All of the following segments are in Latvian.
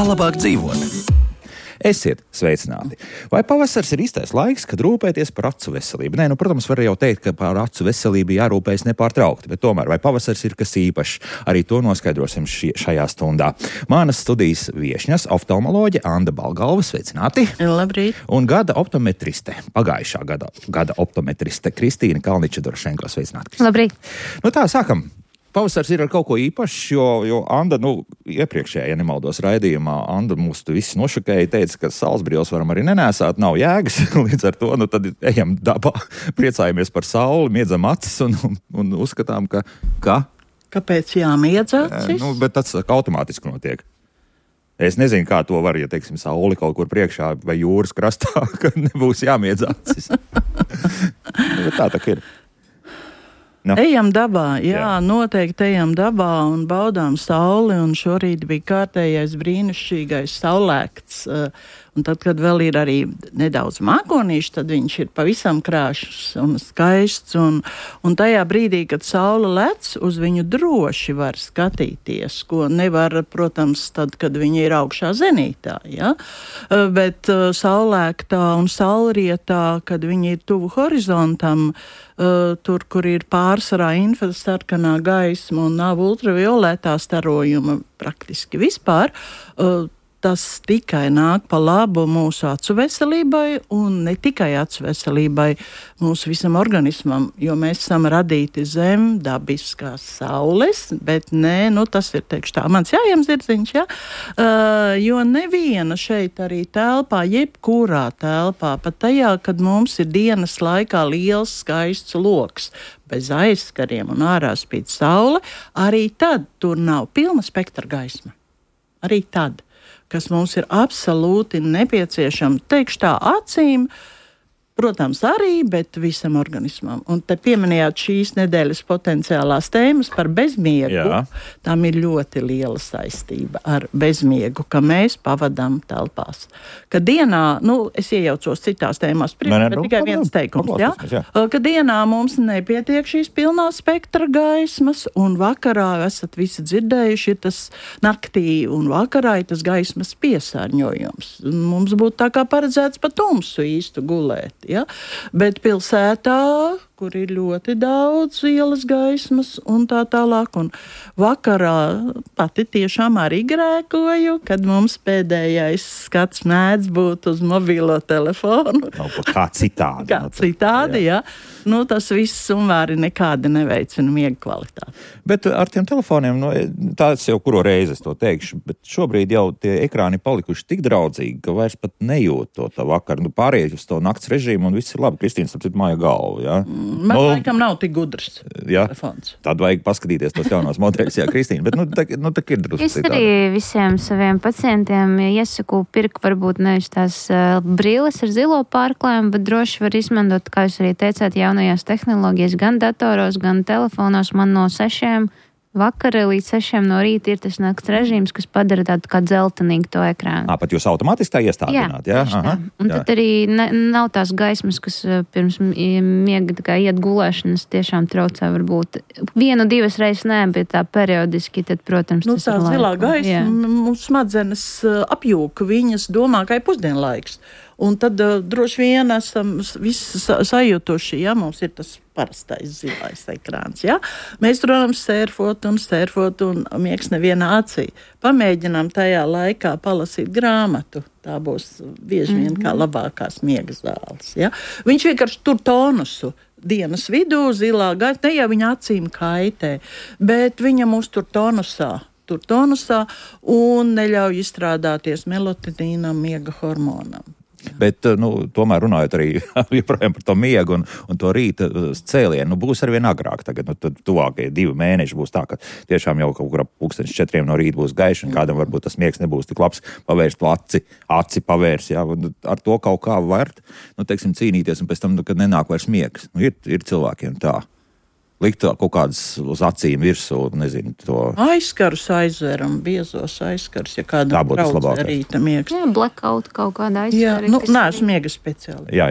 Kā labāk dzīvot? Esiet sveicināti. Vai pavasars ir īstais laiks, kad rūpēties par acu veselību? Nē, protams, var jau teikt, ka par acu veselību jārūpējas nepārtraukti, bet tomēr vai pavasars ir kas īpašs? Arī to noskaidrosim šajā stundā. Manas studijas viešņas oftalmoloģe Anda Balgalva, sveicināti. Labrīt. Un gada optometriste, pagājušā gada optometriste Kristīna Kalniča-Dorošenko, sveicināti. Labrīt. Tā, sākam. Pavasars ir ar kaut ko īpašs, jo Anda, iepriekšējā, ja nemaldos raidījumā, Anda mūs visi nošokēja, teica, ka saules varam arī nenēsāt, nav jēgas, līdz ar to, tad ejam dabā, priecājamies par sauli, miedzam acis un uzskatām, ka... Kāpēc jāmiedz acis? Bet tas automātiski notiek. Es nezinu, kā to var, ja, teiksim, sauli kaut kur priekšā vai jūras krastā, ka nebūs jāmiedz acis. Bet tā ir. No. Ejam dabā, jā, noteikti ejam dabā un baudām sauli, un šorīt bija kārtējais brīnišķīgais saulēkts, un tad, kad vēl ir arī nedaudz mākonīši, tad viņš ir pavisam krāšs un skaists, un tajā brīdī, kad saule lec, uz viņu droši var skatīties, ko nevar, protams, tad, kad viņi ir augšā zenītā, ja? Bet saulēktā un saulrietā, kad viņi ir tuvu horizontam, tur, kur ir pārsvarā infrasarkanā gaisma un nav ultravioletā starojuma praktiski vispār, tas tikai nāk pa labu mūsu acu veselībai un ne tikai acu veselībai, mūsu visam organismam, jo mēs esam radīti zem dabiskās saules, bet nē, tas ir, teikšu tā, mans jājams zirdziņš, ja? Jo neviena šeit arī telpā, jebkurā telpā, pat tajā, kad mums ir dienas laikā liels skaists loks, bez aizskariem un ārā spīd saule, arī tad tur nav pilna spektra gaisma. Arī tad, kas mums ir absolūti nepieciešama, teikšu tā, acīm, protams, arī, bet visam organismam. Un te pieminējāt šīs nedēļas potenciālās tēmas par bezmiegu. Jā. Tam ir ļoti liela saistība ar bezmiegu, ka mēs pavadām telpās. Ka dienā, es iejaucos citās tēmās, bet tikai viens teikums, jā? Ka dienā mums nepietiek šīs pilnā spektra gaismas, un vakarā esat visi dzirdējuši, ir tas naktī un vakarā ir tas gaismas piesārņojums. Mums būtu tā kā paredzēts pa tumsu īstu gulēt. Ja? Bet pilsētā, kur ir ļoti daudz ielas gaismas un tā tālāk, un vakarā pati tiešām arī grēkoju, kad mums pēdējais skats mēdz būt uz mobilo telefonu. Kā citādi. Kā citādi, jā. Tas viss sumvēri nekādi neveicina miega kvalitāti. Bet ar tiem telefoniem, tāds jau kuro reizi es to teikšu, bet šobrīd jau tie ekrāni palikuši tik draudzīgi, ka vairs pat nejūt to vakaru. Pārējais uz to nakts režīmu un viss ir labi. Kristīna, starp citu, māja galvu, jā? Man laikam nav tik gudrs telefons. Tad vajag paskatīties tos jaunos modeļus, jā, Kristīna, bet tā ir drusku citādi. Es arī visiem saviem pacientiem iesaku pirkt varbūt nevis tās brilles ar zilo pārklājumu, bet droši var izmantot, kā jūs arī teicāt, jaunajās tehnoloģijas, gan datoros, gan telefonos. Man no 6 vakara līdz 6 no rīta ir tas nakts režīms, kas padara tādu kā dzeltenīgu to ekrānu. Pat jūs automātiski tā iestādināt, jā? Aha, un tad arī nav tās gaismas, kas pirms miega tā kā iet gulēšanas tiešām traucē varbūt 1-2 reizes nē, bet tā periodiski, tad, protams, tas tā ir laiku. Zilā gaisma, mums smadzenes apjūka, viņas domā, ka ir pusdienlaiks. Un tad droši vien esam visi sajutuši, ja mums ir tas parastais zilais ekrāns. Ja? Mēs, protams, sērfot un miegs nevienā acī. Pamēģinām tajā laikā palasīt grāmatu. Tā būs bieži vien kā labākās miega zāles. Ja? Viņš vienkārši tur tonusu. Dienas vidū zilā gaisa, ne jau viņa acīm kaitē, bet viņa mūs tur tonusā un neļauj izstrādāties melatoninam, miega hormonam. Bet, tomēr runājot arī joprojām par to miegu un to rīta cēlienu, būs arvien agrāk tagad, tad tuvākie 2 mēneši būs tā, ka tiešām jau kaut kur ap 4 no rīta būs gaiši, un kādam varbūt tas miegs nebūs tik labs, pavērst to aci pavērs, jā, un ar to kaut kā var, cīnīties, un pēc tam, kad nenāk vairs miegs. Ir cilvēkiem tā. likt kaut kādas uz acīm virsū, nezinu, to. Aizkarus aizveram, biezos aizkarus, ja kādam traucē rīta miegs. Jā, blackout kaut kāda aizskari. Jā, neesmu miega speciāli. Jā,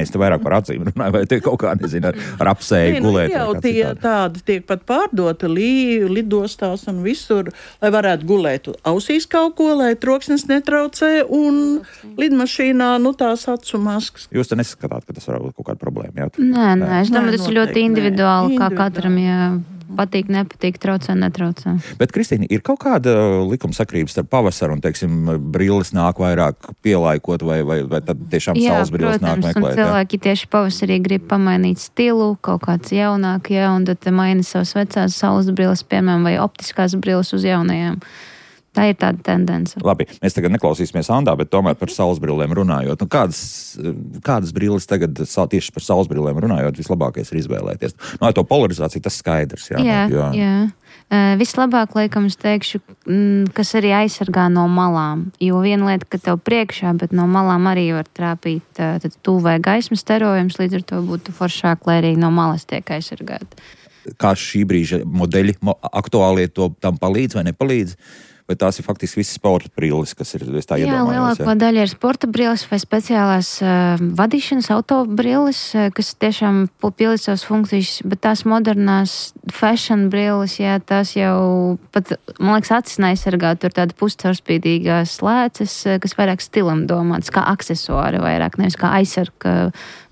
es te vairāk par acīm runāju, vai te kaut kā, nezinu, ar apsēju gulēt. Jau tādi tiek pat pārdoti lidostās un visur, lai varētu gulēt ausīs kaut ko, lai troksnis netraucē un lidmašīnā, tās acu maskas. Jūs te neskatāt, ka tas var būt kaut kāda problēma, jā? Nē, es domāju, tas ir ļoti individuāli, kā katram, ja patīk, nepatīk, traucē, netraucē. Bet, Kristīna, ir kaut kāda likumsakrības starp pavasaru un, teiksim, brilles nāk vairāk pielaikot vai tad tiešām saules brilles nāk meklēt? Jā, protams, un cilvēki tieši pavasarī grib pamainīt stilu, kaut kāds jaunāk, un tad maina savas vecās saules brilles, piemēram, vai optiskās brilles uz jaunajām. Tā ir tāda tendence. Labi, mēs tagad neklausīsimies Andā, bet tomēr par saulesbrillēm runājot. Kādas brilles tagad tieši par saulesbrillēm runājot vislabākais ir izvēlēties? To polarizāciju tas skaidrs. Jā. Vislabāk, laikam, es teikšu, kas arī aizsargā no malām. Jo viena lieta, ka tev priekšā, bet no malām arī var trāpīt tuvē gaismas starojums, līdz ar to būtu foršāk, lai arī no malas tiek aizsargāti. Kā šī brīža modeļi aktuālie tam palīdz vai nepalīdz? Vai tās ir faktiski visas sporta brilles, kas ir tā iedomājās? Jā, lielāko daļa ir sporta brilles vai speciālās vadīšanas auto brilles, kas tiešām pildīt savas funkcijas, bet tās modernās fashion brilles, tās jau pat, man liekas, acis neaizsargā, tur tāda puscaurspīdīgās slēces, kas vairāk stilam domāts, kā aksesuāri vairāk, nevis kā aizsarga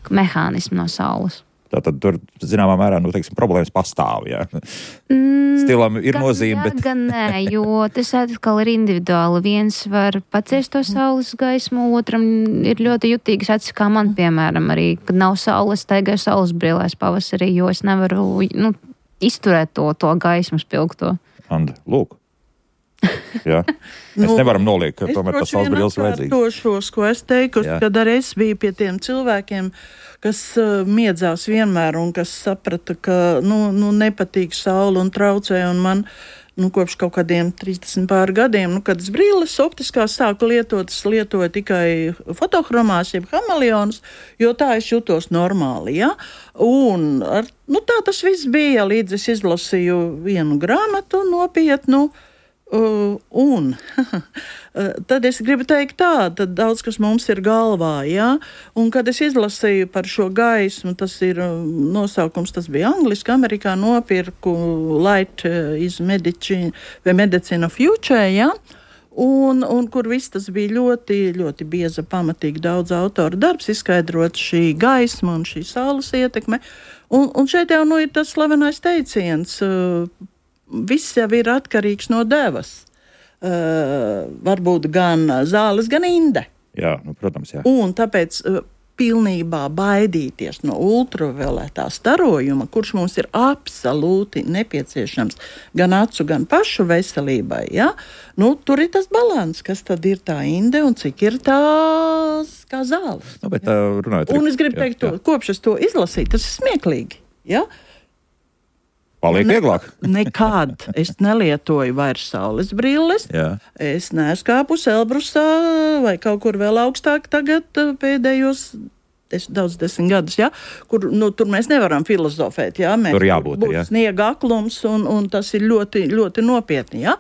mehānismu no saules. Tātad tur, zināmā mērā, problēmas pastāv, jā. Stilam ir nozīme, bet... Gan nē, jo tas atkal ir individuāli. Viens var paciest to saules gaismu, otram ir ļoti jutīgas acis, kā man, piemēram, arī, kad nav saules, staigāju saules brillēs pavasarī, jo es nevaru, izturēt to gaismu spilgto. Anda, lūk. Jā. Mēs nevaram noliekt, ka tomēr tas saules brilles vajadzīgs. Es droši ko es teiktu, kad arī es biju pie tiem cilvēkiem, kas miedzās vienmēr un kas saprata, ka nepatīk saule un traucē, un man kopš kaut kādiem 30 pār gadiem, kad es brilles optiskās sāku lietot, es lietoju tikai fotohromās, jeb hameleonus, jo tā es jutos normāli, ja? Un tā tas viss bija, līdz es izlasīju vienu grāmatu nopietnu, un tad es gribu teikt tad daudz, kas mums ir galvā, ja? Un kad es izlasīju par šo gaismu, tas ir nosaukums, tas bija angliski, Amerikā nopirku Light is Medicine vai Medicine of Future, ja? Un kur viss tas bija ļoti, ļoti bieza, pamatīgi daudz autoru darbs, izskaidrot šī gaisma un šī saules ietekme. Un šeit jau ir tas slavenais teiciens, viss jau ir atkarīgs no devas. Varbūt gan zāles, gan inde. Jā, protams, jā. Un tāpēc pilnībā baidīties no ultravioletā starojuma, kurš mums ir absolūti nepieciešams gan acu, gan pašu veselībai, ja? Tur ir tas balans, kas tad ir tā inde un cik ir tās kā zāles. Bet runājot. Un es gribu teikt, kopš es to izlasīju, tas ir smieklīgi, ja? Paliek vieglāk. Nekad es nelietoju vairs saules brilles. Jā. Es neesmu kāpus Elbrusā vai kaut kur vēl augstāk tagad pēdējos 10 gadus, ja? Kur tur mēs nevaram filozofēt. Ja? Tur jābūt, būs sniega aklums un tas ir ļoti, ļoti nopietni. Ja?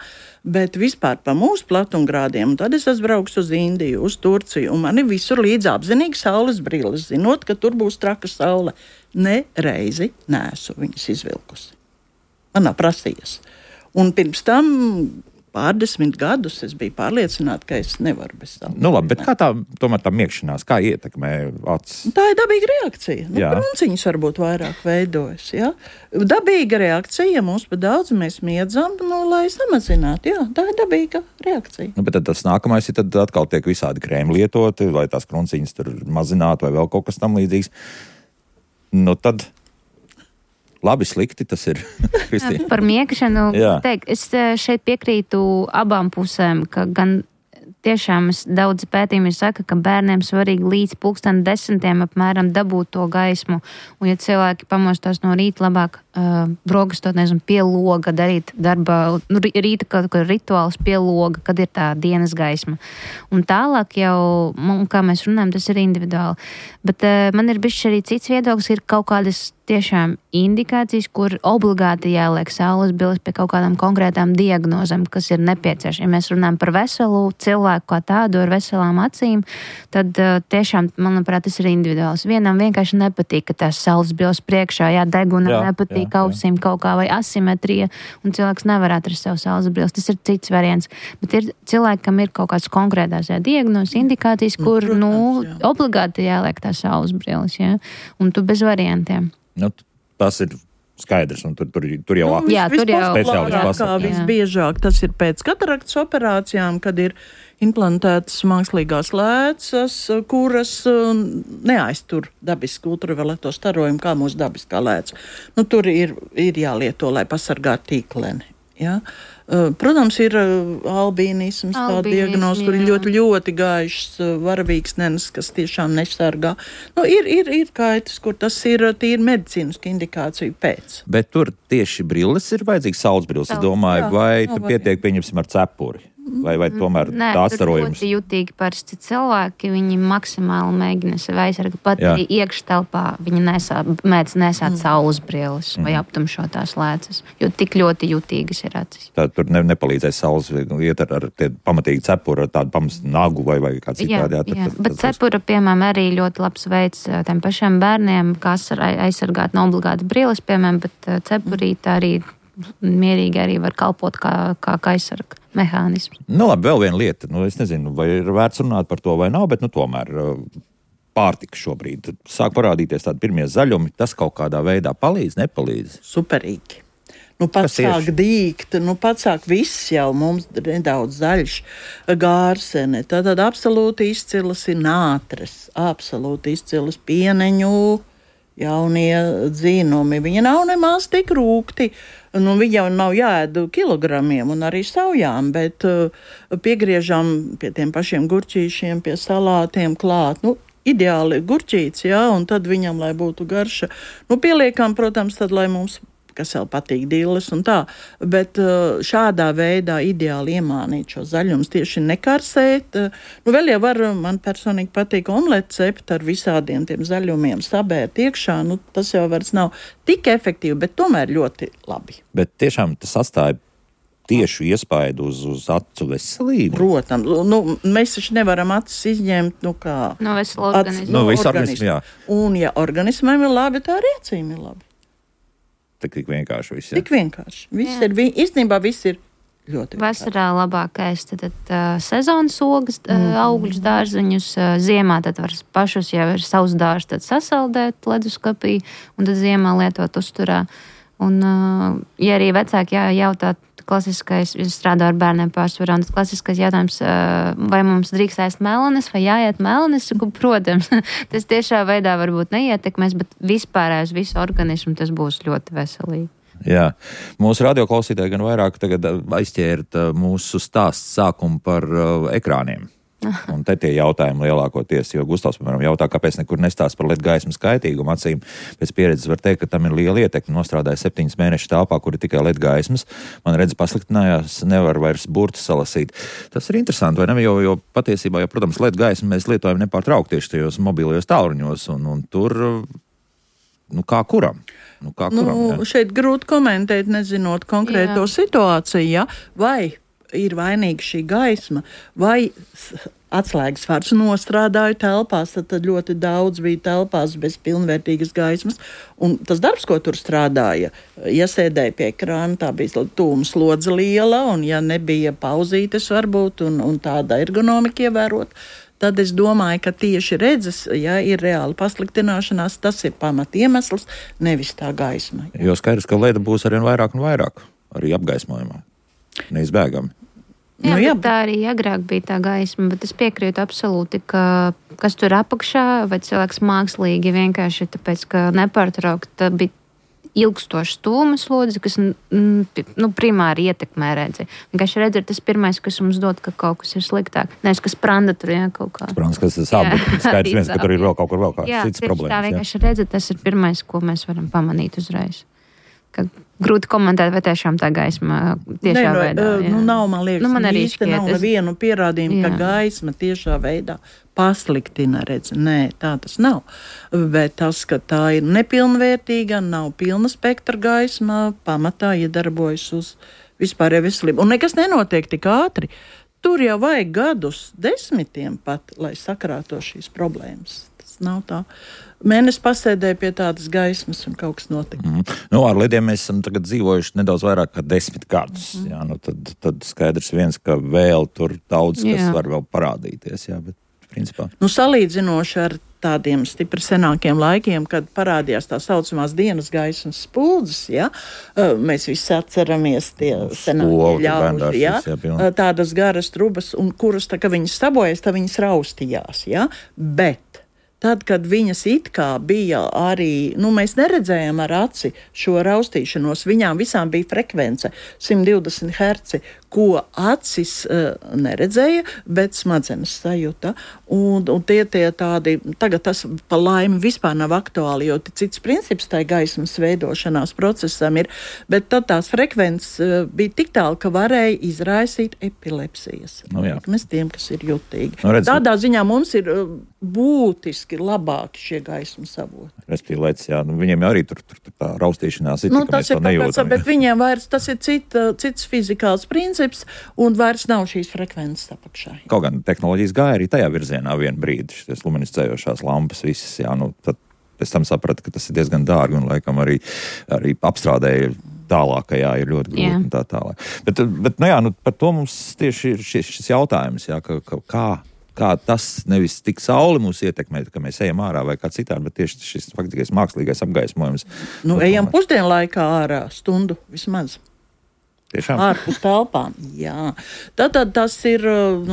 Bet vispār pa mūsu platumgrādiem, un tad es braucu uz Indiju, uz Turciju, un man ir visur līdz apzinīgi saules brilles, zinot, ka tur būs traka saule. Ne reizi neesmu viņas izvilkusi. Man nav prasījies. Un pirms tam pārdesmit gadus es biju pārliecināta, ka es nevaru bez saules. Labi, bet kā tomēr tā miegšanās, kā ietekmē acis? Tā ir dabīga reakcija. Krunciņas varbūt vairāk veidojas. Ja? Dabīga reakcija, ja mums pa daudz mēs miedzam, lai samazinātu. Jā, tā ir dabīga reakcija. Bet tad tas nākamais ir, tad atkal tiek visādi krēmi lietoti, lai tās krunciņas tur mazinātu vai vēl kaut kas tam līdzīgs. Tad... Labi, slikti tas ir. Par miegšanu teikt, es šeit piekrītu abām pusēm, ka gan tiešām daudz pētījumi saka, ka bērniem svarīgi līdz 10:00 apmēram dabūt to gaismu. Un ja cilvēki pamostās no rīta, labāk brogastot, pie loga, darīt darbā, rīta kaut kādu rituālus pie loga, kad ir tā dienas gaisma. Un tālāk jau, kā mēs runājam, tas ir individuāli. Bet man ir bišķi arī cits viedoklis, ir kaut kādas tiešām indikācijas, kur obligāti jāliek saules brilles pie kaut kādām konkrētām diagnozēm, kas ir nepieciešams. Ja mēs runājam par veselu cilvēku kā tādu ar veselām acīm, tad tiešām, manuprāt, tas ir individuāls. Vienam vienkārši nepatīk, ka tās saules brilles priekšā, degunam nepatīk ausīm kaut kā vai asimetrija, un cilvēks nevar atrast savu saules brilles. Tas ir cits variants. Bet ir cilvēki, kam ir kaut kāds konkrētās diagnozes, indikācijas, kur, obligāti jāliek tās saules brilles, un tu bez variantiem. Tas ir skaidrs, un tur jau speciālisti pasaka. Visbiežāk tas ir pēc kataraktas operācijām, kad ir implantētas mākslīgās lēcas, kuras neaiztur dabisku ultravioleto starojumu, kā mūsu dabiskā lēca. Tur ir jālieto, lai pasargātu tīkleni. Ja? Protams, ir albīnisms, tā diagnoze, kur ir ļoti gaišs varavīksnenes, kas tiešām nesargā. Ir kaitas, kur tas ir tīri medicīniska indikācija pēc. Bet tur tieši brilles ir vajadzīgs saules brilles, es domāju, vai tur pietiek, pieņemsim, ar cepuri? Vai tomēr tā atstarojums? Ļoti jutīgi parasti cilvēki, viņi maksimāli mēģina sevi aizsargāt, pat arī iekštelpā viņi mēdz nesāt saules brilles vai aptumšotās lēcas, jo tik ļoti jutīgas ir acis. Tā tur nepalīdzēs saules, iet ar pamatīgi cepuru, ar tādu pamastu nagu vai kā citādi. Jā, bet cepura, piemēram, arī ļoti labs veids tiem pašiem bērniem, kā aizsargāt no obligāti brilles, piemēram, bet cepurīte arī mierīgi arī var kalpot kā aizsarga mehānisms. Labi, vēl viena lieta. Es nezinu, vai ir vērts runāt par to vai nav, bet tomēr pārtika šobrīd. Sāk parādīties tādi pirmie zaļumi. Tas kaut kādā veidā palīdz, nepalīdz? Superīgi. Pats sāk dīgt, pats sāk viss jau mums nedaudz zaļš, gārsene. Tad absolūti izcilas ir nātres, absolūti izcilas pieneņu, jaunie dzīnumi. Viņi nav nemaz tik rūgti. Viņi jau nav jāēd kilogramiem un arī saujām, bet piegriežam pie tiem pašiem gurķīšiem, pie salātiem klāt. Ideāli gurķīts, un tad viņam, lai būtu garša. Pieliekam, protams, tad, lai mums, kas vēl patīk, dilles un tā, bet šādā veidā ideāli iemānīt šo zaļumus, tieši nekarsēt. Vēl jau var, man personīgi patīk omleti cept ar visādiem tiem zaļumiem, sabērt iekšā, tas jau vairs nav tik efektīvi, bet tomēr ļoti labi. Bet tiešām tas atstāja tiešu iespaidu uz acu veselību? Protams, mēs taču nevaram acis izņemt, kā... No vesela organisma. No visu organismu, jā. Un ja organismam ir labi, tā arī acīm ir labi. Tik vienkārši viss. Tik vienkārši. Īstenībā viss ir ļoti vienkārši. Vasarā labākais tad sezonas ogas, augļus, dārzeņus. Ziemā tad var pašus jau ir savus dārzus tad sasaldēt leduskapī un tad ziemā lietot uzturā. Un, ja arī vecāki jautā, klasiskais, es strādāju ar bērniem pārsvarā, un tas klasiskais jautājums, vai mums drīkst ēst melanes, vai jāiet melanes, protams, tas tiešā veidā varbūt neietekmēs, bet vispārējais visu organismu tas būs ļoti veselīgi. Jā, mūsu radioklausītāji gan vairāk tagad aizķērt mūsu stāstu sākumu par ekrāniem. Un te tie jautājumi lielākoties, jo Gustavs, piemēram, jautā, kāpēc nekur nestāst par LED gaismas kaitīgumu acīm. Pēc pieredzes var teikt, ka tam ir liela ietekme. Nostrādāja 7 mēnešu telpā, kur ir tikai LED gaismas. Man redz pasliktinājās, nevar vairs burtus salasīt. Tas ir interesanti, vai ne? Jo patiesībā, protams, LED gaismu mēs lietojam nepārtraukti tieši tajos mobilajos tālruņos, un tur, kā kuram? Šeit grūti komentēt, nezinot konkrēto situāciju, ja? Vai ir vainīga šī gaisma, vai atslēgas vārds nostrādāju telpās, tad ļoti daudz bija telpās bez pilnvērtīgas gaismas, un tas darbs, ko tur strādāja, ja sēdēja pie ekrāna, tā bija tūma slodze liela, un ja nebija pauzītes varbūt, un tāda ergonomika ievērot, tad es domāju, ka tieši redzes, ja ir reāla pasliktināšanās, tas ir pamat iemesls, nevis tā gaisma. Jo skaidrs, ka leda būs arvien vairāk un vairāk, arī apgaismojumā. Neizbēgami. Jā, tā arī agrāk bija tā gaisma, bet es piekrītu absolūti, ka kas tur apakšā, vai cilvēks mākslīgi vienkārši tāpēc, ka nepārtraukti bija ilgstošs tūmas slodzi, kas primāri ietekmē redzi. Vienkārši redzi ir tas pirmais, kas mums dod, ka kaut kas ir sliktāk. Nevis, kas spranda tur, kaut kā. Spranda, kas tas sāp, bet skaidrs viens, ka tur ir vēl kaut kur vēl kāds cits problēmas. Jā, tā vienkārši redzi, tas ir pirmais, ko mēs varam pamanīt uzreiz. ka grūti komentēt, vai tiešām tā gaisma tiešā veidā. Nav, man liekas, man arī īsti nav nevienu pierādījumu, ka gaisma tiešā veidā pasliktina redzi. Nē, tā tas nav. Bet tas, ka tā ir nepilnvērtīga, nav pilna spektra gaisma, pamatā iedarbojas uz vispārēju veselību. Un nekas nenotiek tik ātri. Tur jau vajag gadus, 10 pat, lai sakrāto šīs problēmas. Tas nav tā. Mēnesis pasēdēja pie tādas gaismas un kaut kas notika. Ar lidiem mēs esam tagad dzīvojuši nedaudz vairāk kā 10 gadus. Jā, tad skaidrs viens, ka vēl tur daudz, kas var vēl parādīties. Jā, bet principā. Salīdzinoši ar tādiem stipri senākiem laikiem, kad parādījās tā saucamās dienas gaismas spuldzes, ja? Mēs visi atceramies tie senākie ļauži, ja? Tādas garas trubas, un kuras, tā, ka viņas sabojas, tā viņas raustījās. Ja? Bet tad, kad viņas it kā bija arī, mēs neredzējām ar aci šo raustīšanos, viņām visām bija frekvence 120 Hz, ko acis neredzēja, bet smadzenes sajuta. Un tie tādi, tagad tas pa laimi vispār nav aktuāli, jo cits princips tai gaismas veidošanās procesam ir, bet tad tās frekvences bija tik tālu, ka varēja izraisīt epilepsijas. Mēs tiem, kas ir jutīgi. Tādā ziņā mums ir būtiski labāki šie gaismas avoti. Respektīvi, viņiem arī tur tā raustīšanās ir, ka mēs to nejūtam. Bet viņiem vairs tas ir cits fizikāls princips, un vairs nav šīs frekvences apakšā. Kaut gan tehnoloģijas gāja arī tajā virzienā vienu brīdi, šīs luminiscējošās lampas visas, tad pēc tam sapratu, ka tas ir diezgan dārgi un laikam arī apstrādēja tālākajā ir ļoti grūti un tā tālāk. Bet par to mums tieši ir šis jautājums, kā tas nevis tik sauli mūs ietekmē, ka mēs ejam ārā vai kā citādi, bet tieši šis faktiskais mākslīgais apgaismojums. Ejam pusdienlaikā ārā stundu vismaz. Tiešām? Ārpus telpām, jā. Tad tas ir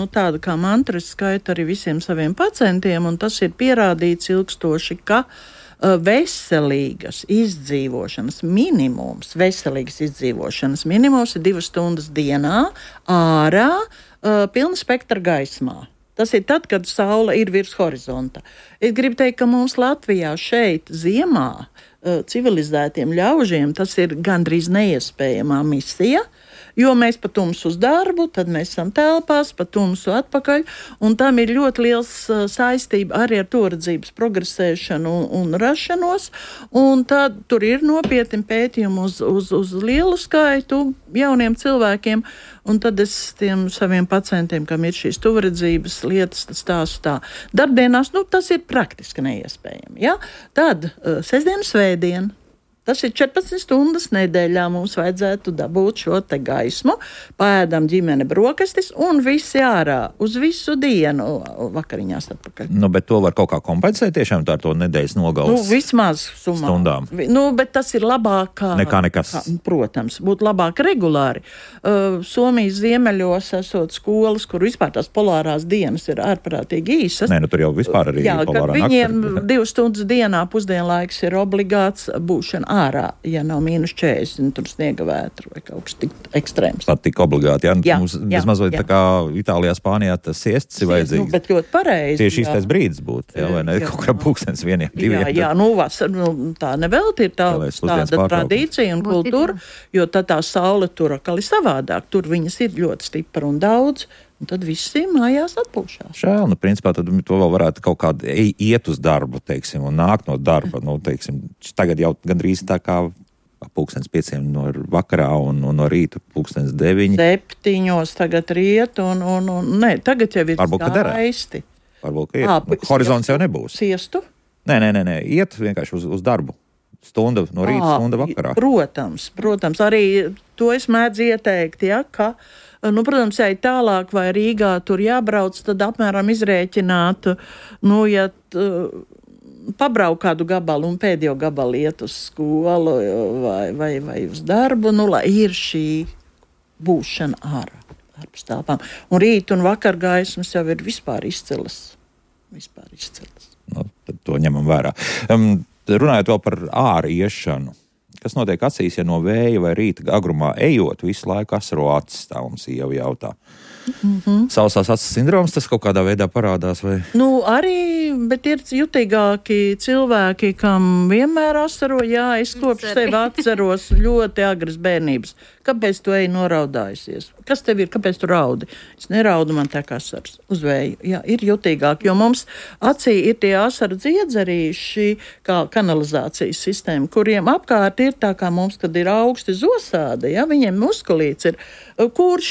tāda kā mantra, skaita arī visiem saviem pacientiem, un tas ir pierādīts ilgstoši, ka veselīgas izdzīvošanas minimums ir 2 stundas dienā ārā pilna spektra gaismā. Tas ir tad, kad saule ir virs horizonta. Es gribu teikt, ka mums Latvijā šeit ziemā civilizētiem ļaužiem tas ir gandrīz neiespējamā misija, jo mēs pa tumsu uz darbu, tad mēs esam telpās, pa tumsu atpakaļ, un tam ir ļoti liels saistība arī ar toredzības progresēšanu un rašanos, un tad tur ir nopietni pētījumi uz lielu skaitu jauniem cilvēkiem, un tad es tiem saviem pacientiem, kam ir šīs tuvredzības lietas, stāstu tā. Darbdienās, tas ir praktiski neiespējami, ja? Tad sestdiena, svētdiena. Tas ir 14 stundas nedēļā mums vajadzētu dabūt šo te gaismu, paēdam ģimene brokastis un visi ārā uz visu dienu vakariņās atpakaļ. Bet to var kaut kā kompensēt tiešām tā ar to nedēļas nogales vismaz stundām. Bet tas ir labāk nekā nekas. Protams, būtu labāk regulāri. Somijas ziemeļos esot skolas, kur vispār tās polārās dienas ir ārprātīgi īsas. Tur jau vispār arī polārā nakti. Viņiem 2 stundas dienā pusdienlaiks ir obligāts būšana ārā, ja nav -40, tur sniega vētru vai kaut kas tik ekstrēms. Pat tik obligāti, mums mazliet tā kā Itālijā, Spānijā tas siestas ir vajadzīgs. Bet ļoti pareizi. Tieši īstais brīdis būtu, vai ne? Kaut kā pulkstens 1, 2. Vasar, tā nevelti ir tāda tradīcija un kultūra, jo tad tā saule tur atkal ir savādāk. Tur viņas ir ļoti stipra un daudz. Un tad visi mājās atpūšās. Žēl, principā tad to vēl varētu kaut kādi iet uz darbu, teiksim, un nākt no darba. Tagad jau gandrīz tā kā 5:00 no vakarā un no rīta 9:00. 7:00 tagad riet nē, tagad jau ir skaisti. Varbūt, ka ir. Horizons jau nebūs. Siestu? Nē, iet vienkārši uz darbu. Stunda no rīta, stunda vakarā. Protams, arī to es mēdzu ieteikt, ka protams, ja ir tālāk vai Rīgā tur jābrauc, tad apmēram izrēķināt, ja pabrauk kādu gabalu un pēdējo gabalu iet uz skolu vai uz darbu, lai ir šī būšana ārpus telpām. Un rīt un vakar gaismas jau ir vispār izcilas. Tad to ņemam vērā. Runājot vēl par āriešanu. Kas notiek acīs, ja no vēja vai rīta agrumā ejot, visu laiku asaro acis, tā mums jau jautā. Sausās acis sindroms, tas kaut kādā veidā parādās, vai? Arī, bet ir jutīgāki cilvēki, kam vienmēr asaro, es kopš tevi atceros ļoti agras bērnības. Kāpēc tu ej noraudājusies? Kas tev ir? Kāpēc tu raudi? Es neraudu, man tek asars uz vēju. Jā, ir jutīgāk, jo mums acī ir tie asaru dziedzerīši, kā kanalizācijas sistēma, kuriem apkārt ir tā kā mums, kad ir augsti zosādi, viņiem muskulīts ir, kurš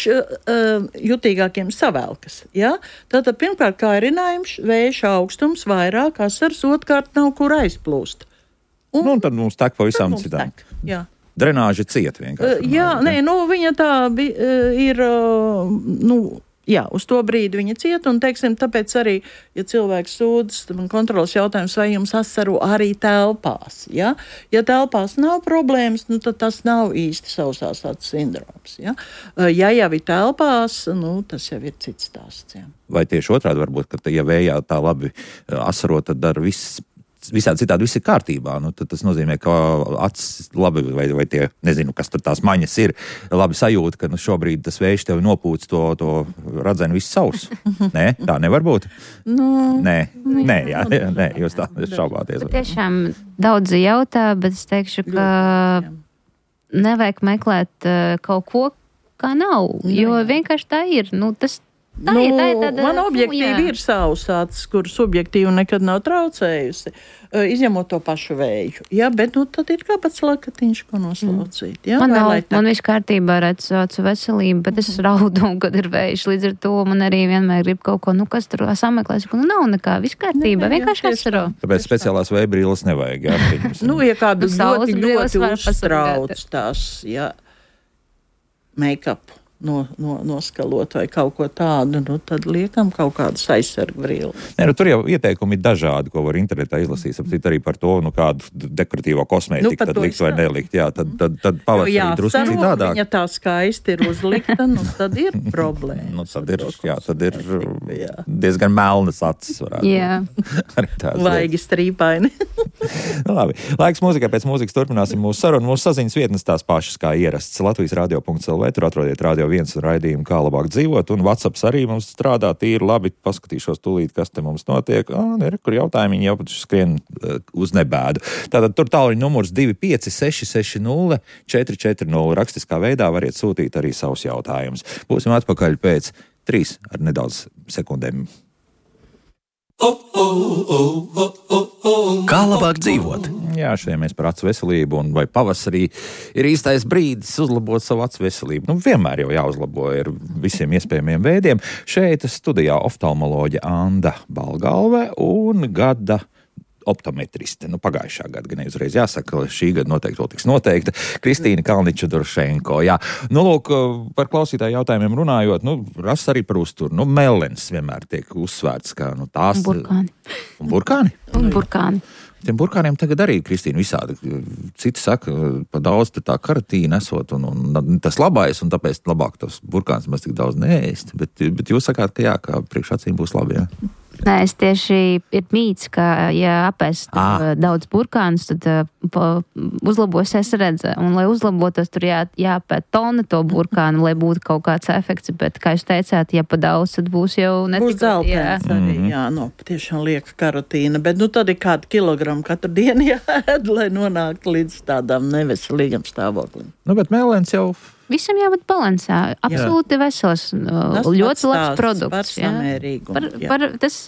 jutīgākiem savelkas. Tātad pirmkārt kārinājums, vējas augstums, vairāk asars, otrkārt nav kur aizplūst. Un tad mums tek pavisam citām. Jā. Drenāža ciet vienkārši. Viņa tā ir, uz to brīdi viņa ciet, un, teiksim, tāpēc arī, ja cilvēks sūdzas, man kontrolas jautājums, vai jums asaro arī telpās, Ja telpās nav problēmas, tad tas nav īsti sausās acis sindroms, Ja jau ir telpās, tas jau ir cits stāsts, Vai tieši otrādi varbūt, ka, ja vējā tā labi asaro, tad dara visādi citādi viss ir kārtībā, tad tas nozīmē, ka acis labi, vai tie, nezinu, kas tur tās maņas ir, labi sajūta, ka šobrīd tas vējš tevi nopūc to radzeni visu savus. Nē, tā nevar būt? Nē, jūs tā šaubāties. Tiešām daudzi jautā, bet es teikšu, ka nevajag meklēt kaut ko, kā nav, jo vienkārši tā ir. Man objektīvi ir savs acis, kur subjektīvi nekad nav traucējusi, izņemot to pašu vēju. Bet tad ir kāpēc lakatiņš, ko noslaucīt. Man viss kārtībā ar acu veselību, bet es raudu, kad ir vējš. Līdz ar to man arī vienmēr grib kaut ko, kas tur sameklēs, nav nekā, viss kārtībā, vienkārši asaro. Tāpēc speciālās vēja brīles nevajag, ja kādu ļoti uztrauc tās, make-up. Noskalot vai kaut ko tādu, tad liekam kaut kādas aizsargu brīles. Tur jau ieteikumi ir dažādi, ko var internetā izlasīt, apcīt arī par to, kādu dekoratīvo kosmētiku tad likt vai nelikt. Tad pavasarī drusku citādāk. Ja tā skaisti ir uzlikta, tad ir problēma. Tad ir diezgan melnas acis varētu. Vaigi strīpaini. Labi. Laiks mūzikai, pēc mūzikas turpināsim mūsu sarunu. Mūsu saziņas vietnes tās pašas kā ierasts. LatvijasRadio.lv, tur atrodiet Radio 1 raidījumu, kā labāk dzīvot, un WhatsApps arī mums strādā tīri labi. Paskatīšos tūlīt, kas te mums notiek. Kur jautājumi jau skrien uz nebēdu. Tātad tur tālruņa numurs 25660 440. Rakstiskā veidā variet sūtīt arī savus jautājumus. Būsim atpakaļ pēc 3 ar nedaudz sekundēm. Kā labāk dzīvot? Šodien mēs par acu veselību, un vai pavasarī ir īstais brīdis uzlabot savu acu veselību. Vienmēr jau jāuzlabo ar visiem iespējamiem veidiem. Šeit studijā oftalmoloģe Anda Balgalve un gada optometriste. Pagājušā gada, gan neuzreiz jāsaka, šī gada noteikti vēl tiks noteikta. Kristīna Kalniča-Doršenko. Lūk, par klausītāju jautājumiem runājot, ras arī par uzturu. Melens vienmēr tiek uzsvērts, kā tās... Burkāni. Un burkāni. Tiem burkāniem tagad arī, Kristīna, visādi. Citi saka, pa daudz tā karatīna esot, un tas labais, un tāpēc labāk tos burkāns mēs tik daudz neēst. Bet jūs sakāt, ka priekš acīm būs labi, Nē, es tieši ir mīts, ka, ja apēst daudz burkānus, tad uzlabosies redze. Un, lai uzlabotos, tur jāpēt tona to burkānu, lai būtu kaut kāds efekts. Bet, kā jūs teicāt, ja pa daudz, tad būs jau netik. Būs zeltens arī, patiešām lieka karotīna. Bet, tad ir kādi kilogramu katru dienu jāēd, lai nonāktu līdz tādām neveselīgam stāvoklim. Bet melens jau... Visam jābūt balansā. Absolūti vesels. Ļoti labs produkts. Tas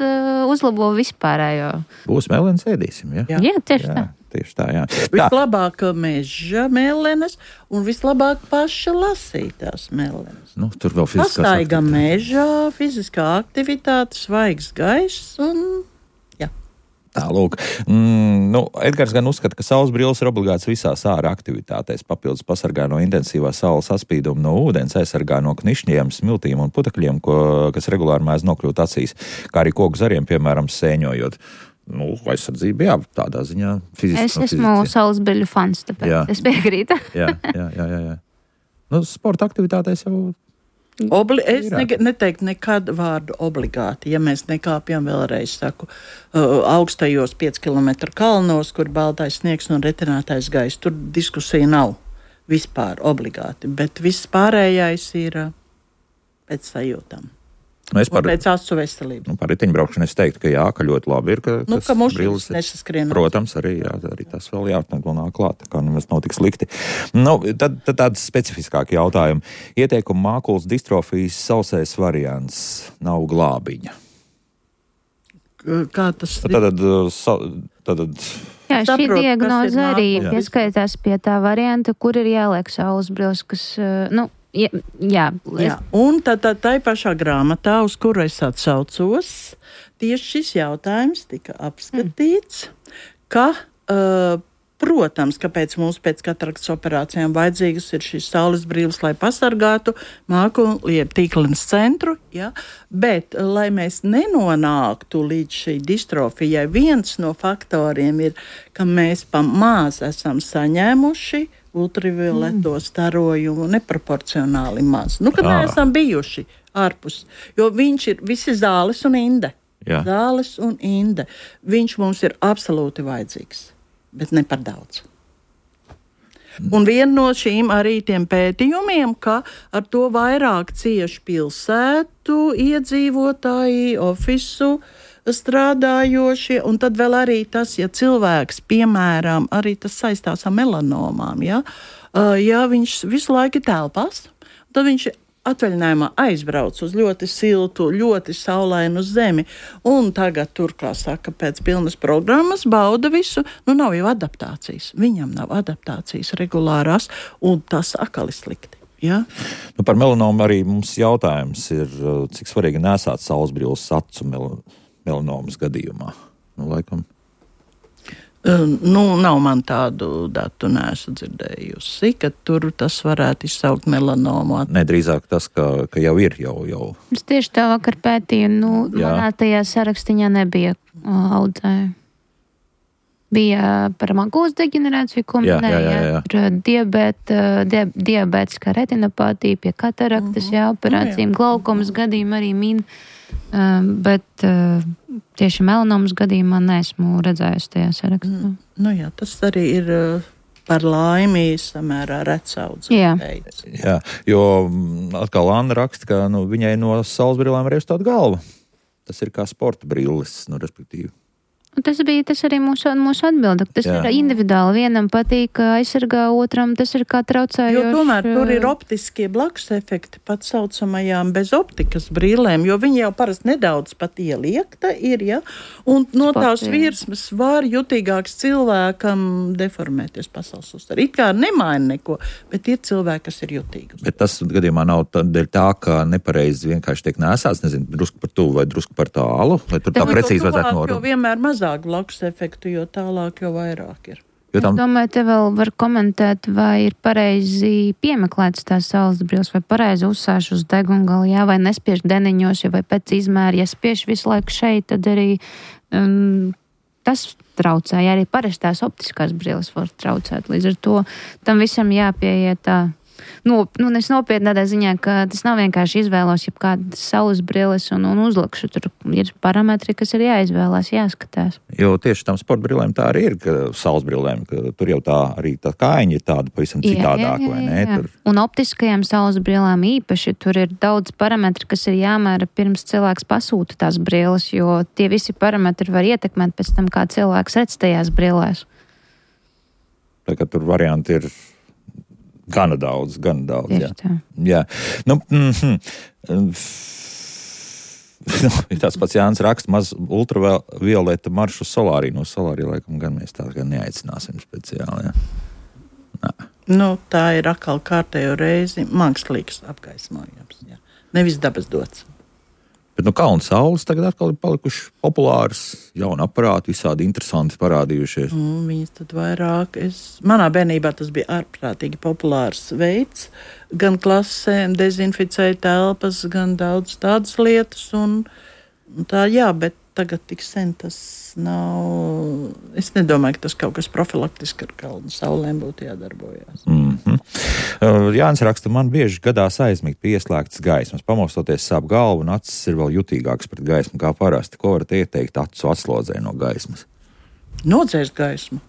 uzlabo vispārējo. Būs melens ēdīsim, Jā, tieši tā. Tieši tā, Vislabāk meža melenes un vislabāk paša lasītās melenes. Tur vēl fiziskās Pastaiga mežā, fiziskā aktivitāte, svaigs gaiss un... Tā, lūk. Edgars gan uzskata, ka saules brilles ir obligāts visās ārā aktivitātēs. Papildus pasargā no intensīvā saules saspīduma no ūdens, aizsargā no knišņiem, smiltīm un putekļiem, kas regulāri mēdz nokļūt acīs, kā arī koku zariem, piemēram, sēņojot. Aizsardzība, tādā ziņā fiziski. Es esmu saules brilļu fans, tāpēc es piekrītu. Jā. Sporta aktivitātēs jau Es neteiktu nekad vārdu obligāti, ja mēs nekāpjam vēlreiz, saku, augstajos 5 kilometru kalnos, kur baltais sniegs un retinātais gaiss. Tur diskusija nav vispār obligāti, bet viss pārējais ir pēc sajūtām. Pēc acu veselības. Par riteņbraukšanu es teiktu, ka jā, ka ļoti labi ir, ka mušas nesaskrien. Protams, arī tas vēl nāk klāt, kā nemaz nav tik slikti. Tad tāds specifiskāki jautājumi. Ieteikuma mākulas distrofijas sausais variants nav glābiņa. Kā tas ir? Tad jā, šī diagnoze arī pieskaitās pie tā varianta, kur ir jāliek saules brilles, kas, Jā. Un tad tai pašā grāmatā, uz kuru es atsaucos, tieši šis jautājums tika apskatīts, ka, protams, kāpēc mums pēc kataraktas operācijām vajadzīgas ir šīs saules brilles, lai pasargātu mākulu, jeb tīklenes centru, ja? Bet, lai mēs nenonāktu līdz šī distrofijai, viens no faktoriem ir, ka mēs maz esam saņēmuši ultravioleto starojumu neproporcionāli maz. Kad neesam bijuši ārpus, jo viņš ir visi zāles un inde. Jā. Zāles un inde. Viņš mums ir absolūti vajadzīgs, bet ne par daudz. Un viena no šīm arī tiem pētījumiem, ka ar to vairāk cieši pilsētu iedzīvotāji, ofisu strādājošie, un tad vēl arī tas, ja cilvēks, piemēram, arī tas saistās ar melanomām, ja viņš visu laiku telpās, tad viņš atvaļinājumā aizbrauc uz ļoti siltu, ļoti saulainu zemi, un tagad tur, kā saka, pēc pilnas programmas bauda visu, nav jau adaptācijas. Viņam nav adaptācijas regulārās, un tas atkal ir slikti. Ja? Par melanomu arī mums jautājums ir, cik svarīgi nesāt saulesbrilles acu melanomas gadījumā. Laikam. Nav man tādu datu, neesmu dzirdējusi, ka tur tas varētu izsaukt melanomu. Ne, drīzāk tas, ka jau ir. Jau. Es tieši tā vakar pētīju, manā tajā sarakstiņā nebija audzēju. Bija par makulas deģenerāciju, ko minēja, par diabētiskā retinopātija, pie kataraktas, operācijām, glaukomas gadījumā arī min. Bet tieši melanomas gadījumā neesmu redzējusi tajā sarakstā. Tas arī ir par laimi samērā rets audzes. Jā, jo atkal Anna raksta, ka viņai no saulesbrillēm arī uz tādu galvu. Tas ir kā sporta brilles, respektīvi. Tas arī mūsu atbilde. Tas ir individuāli. Vienam patīk aizsargā, otram tas ir kā traucējoši. Jo tomēr tur ir optiskie blakus efekti pat saucamajām bez optikas brīlēm, jo viņi jau parasti nedaudz pat ieliekta ir, un no tās virsmas var jutīgāks cilvēkam deformēties pasaules uztver. It kā nemaina neko, bet ir cilvēki, kas ir jutīgi. Bet tas gadījumā nav dēļ tā, ka nepareizi vienkārši tiek nēsāts, drusku par tuvu vai drusku par tālu, lai tur tā precīzi vajadzētu norunāt. Jo vienmēr mazāk blakus efektu, jo tālāk, jo vairāk ir. Es domāju, te vēl var komentēt, vai ir pareizi piemeklētas tās saules brilles, vai pareizi uzsāš uz degungali, vai nespiež deniņos, vai pēc izmēra, ja spiež visu laiku šeit, tad arī tas traucē, arī parastās optiskās brilles var traucēt. Līdz ar to tam visam jāpieiet tā. Es nopietni tādā ziņā, ka tas nav vienkārši izvēlos, ja kādas saules brilles un uzlikšu. Tur ir parametri, kas ir jāizvēlās, jāskatās. Jo tieši tam sporta brillēm tā arī ir, ka saules brillēm, ka tur jau tā arī tā kājiņa ir tāda pavisam citādāk, vai ne? Tur... Un optiskajām saules brillēm īpaši tur ir daudz parametri, kas ir jāmēra pirms cilvēks pasūta tās brilles, jo tie visi parametri var ietekmēt pēc tam, kā cilvēks redz tajās brillēs. Tā kā tur varianti ir gana daudz. Jā. Tas pats Jānis raksta, maz ultravioleta maršu solārī. No solārī laikam gan mēs tā gan neaicināsim speciāli. Tā ir atkal kārtējo reizi mākslīgs apgaismojums. Jā. Nevis dabas dots. Bet kalnu saules tagad atkal ir palikuši populāras, jauni aparāti, visādi interesanti parādījušies. Viņas tad vairāk. Manā bērnībā tas bija ārprātīgi populārs veids. Gan klasēm dezinficēja telpas, gan daudz tādas lietas. Un tā, bet tagad tik sen tas nav. Es nedomāju, ka tas kaut kas profilaktiski ar kalnu saulēm būtu jādarbojās. Jānis raksta, man bieži gadās aizmigt pie ieslēgtas gaismas. Pamostoties sāp galvu un acis ir vēl jutīgāks pret gaismu kā parasti. Ko varat ieteikt acu atslodzē no gaismas? Nodzēst gaismu.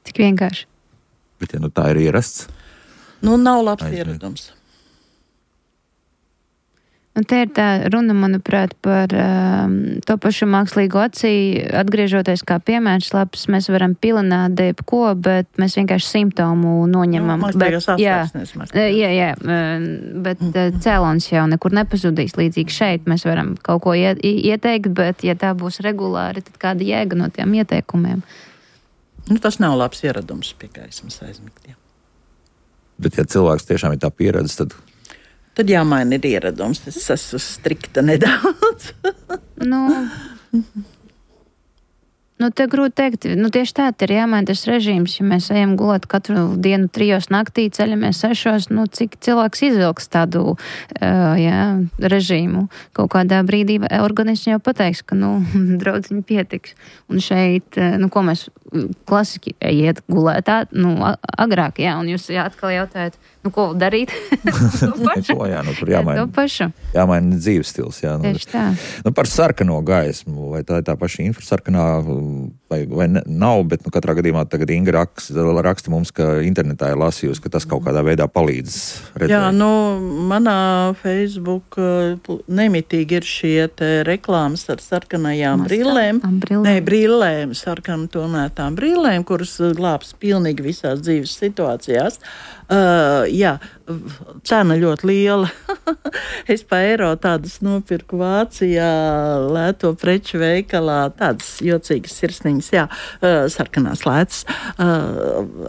Tik vienkārši. Bet, ja tā ir ierasts? Nav labs ieradums. Un te ir tā runa, manuprāt, par to pašu mākslīgo acī. Atgriežoties kā piemērs labs, mēs varam pilināt ko, bet mēs vienkārši simptomu noņemam. Bet cēlons jau nekur nepazudīs. Līdzīgi šeit mēs varam kaut ko ieteikt, bet ja tā būs regulāri, tad kāda jēga no tiem ieteikumiem? Tas nav labs ieradums pie gaismas aizmigt. Bet ja cilvēks tiešām ir tā pieredze, tad jāmaina ir ieradums. Es esmu strikta nedaudz. Te grūti teikt. Tieši tā ir jāmaina tas režīms. Ja mēs ejam gulēt katru dienu 3 naktī, ceļamies 6, cik cilvēks izvilks tādu režīmu. Kaut kādā brīdī organisms jau pateiks, ka, draudziņi pietiks. Un šeit, ko mēs klasiski iet gulēt agrāk, un jūs atkal jautājat, ko darīt? Tur jāmaina dzīves stils. Tieši tā. Par sarkano gaismu, vai tā ir tā paša infrasarkanā, vai nav, bet katrā gadījumā tagad Inga raksta mums, ka internetā ir lasījusi, ka tas kaut kādā veidā palīdz redzēt. Jā, manā Facebook nemitīgi ir šie reklāmas ar sarkanajām brillēm. Brillēm, sarkanu tonētām brillēm, kuras glābs pilnīgi visās dzīves situācijās. Cena ļoti liela. Es pa eiro tādas nopirku Vācijā, lēto preču veikalā, tādas jocīgas sirsniņas, sarkanās lētas,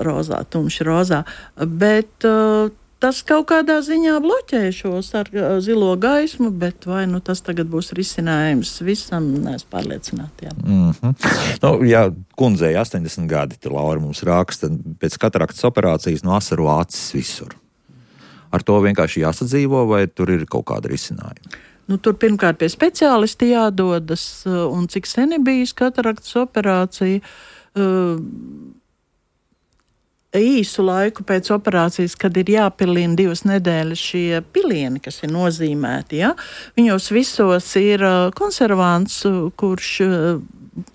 rozā, tumši rozā, bet tas kaut kādā ziņā bloķē šo zilo gaismu, bet vai tas tagad būs risinājums visam, neesmu pārliecināta. Kundzei 80 gadi, Laura mums raksta, pēc kataraktas operācijas asaro acis visur. Ar to vienkārši jāsadzīvo, vai tur ir kaut kāda risinājuma? Tur pirmkārt pie speciālisti jādodas, un cik sen ir bijis kataraktas operācija, īsu laiku pēc operācijas, kad ir jāpilina 2 nedēļas šie pilieni, kas ir nozīmēti. Viņos visos ir konservants, kurš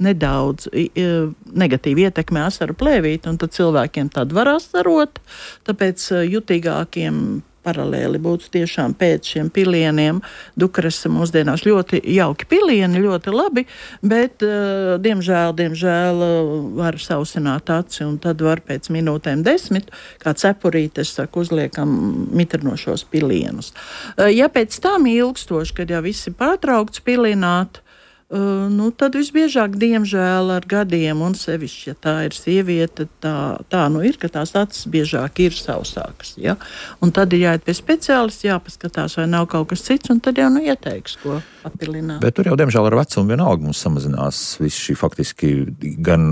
nedaudz negatīvi ietekmē asaru plēvīti, un tad cilvēkiem tad var asarot, tāpēc jutīgākiem paralēli būtu tiešām pēc šiem pilieniem. Dukresa mūsdienās ļoti jauki pilieni, ļoti labi, bet diemžēl var sausināt aci, un tad var pēc minūtēm 10, kā cepurītes, uzliekam mitrinošos pilienus. Ja pēc tam ilgstoši, kad jau viss ir pārtraukts pilināt, tad visbiežāk, diemžēl, ar gadiem, un sevišķi, ja tā ir sieviete, tā ir, ka tās acis biežāk ir sausākas. Ja? Un tad ir jāiet pie speciālista, jāpaskatās, vai nav kaut kas cits, un tad jau ieteiks, ko papilināt. Bet tur jau, diemžēl, ar vecumu vienalga mums samazinās viss šī faktiski gan...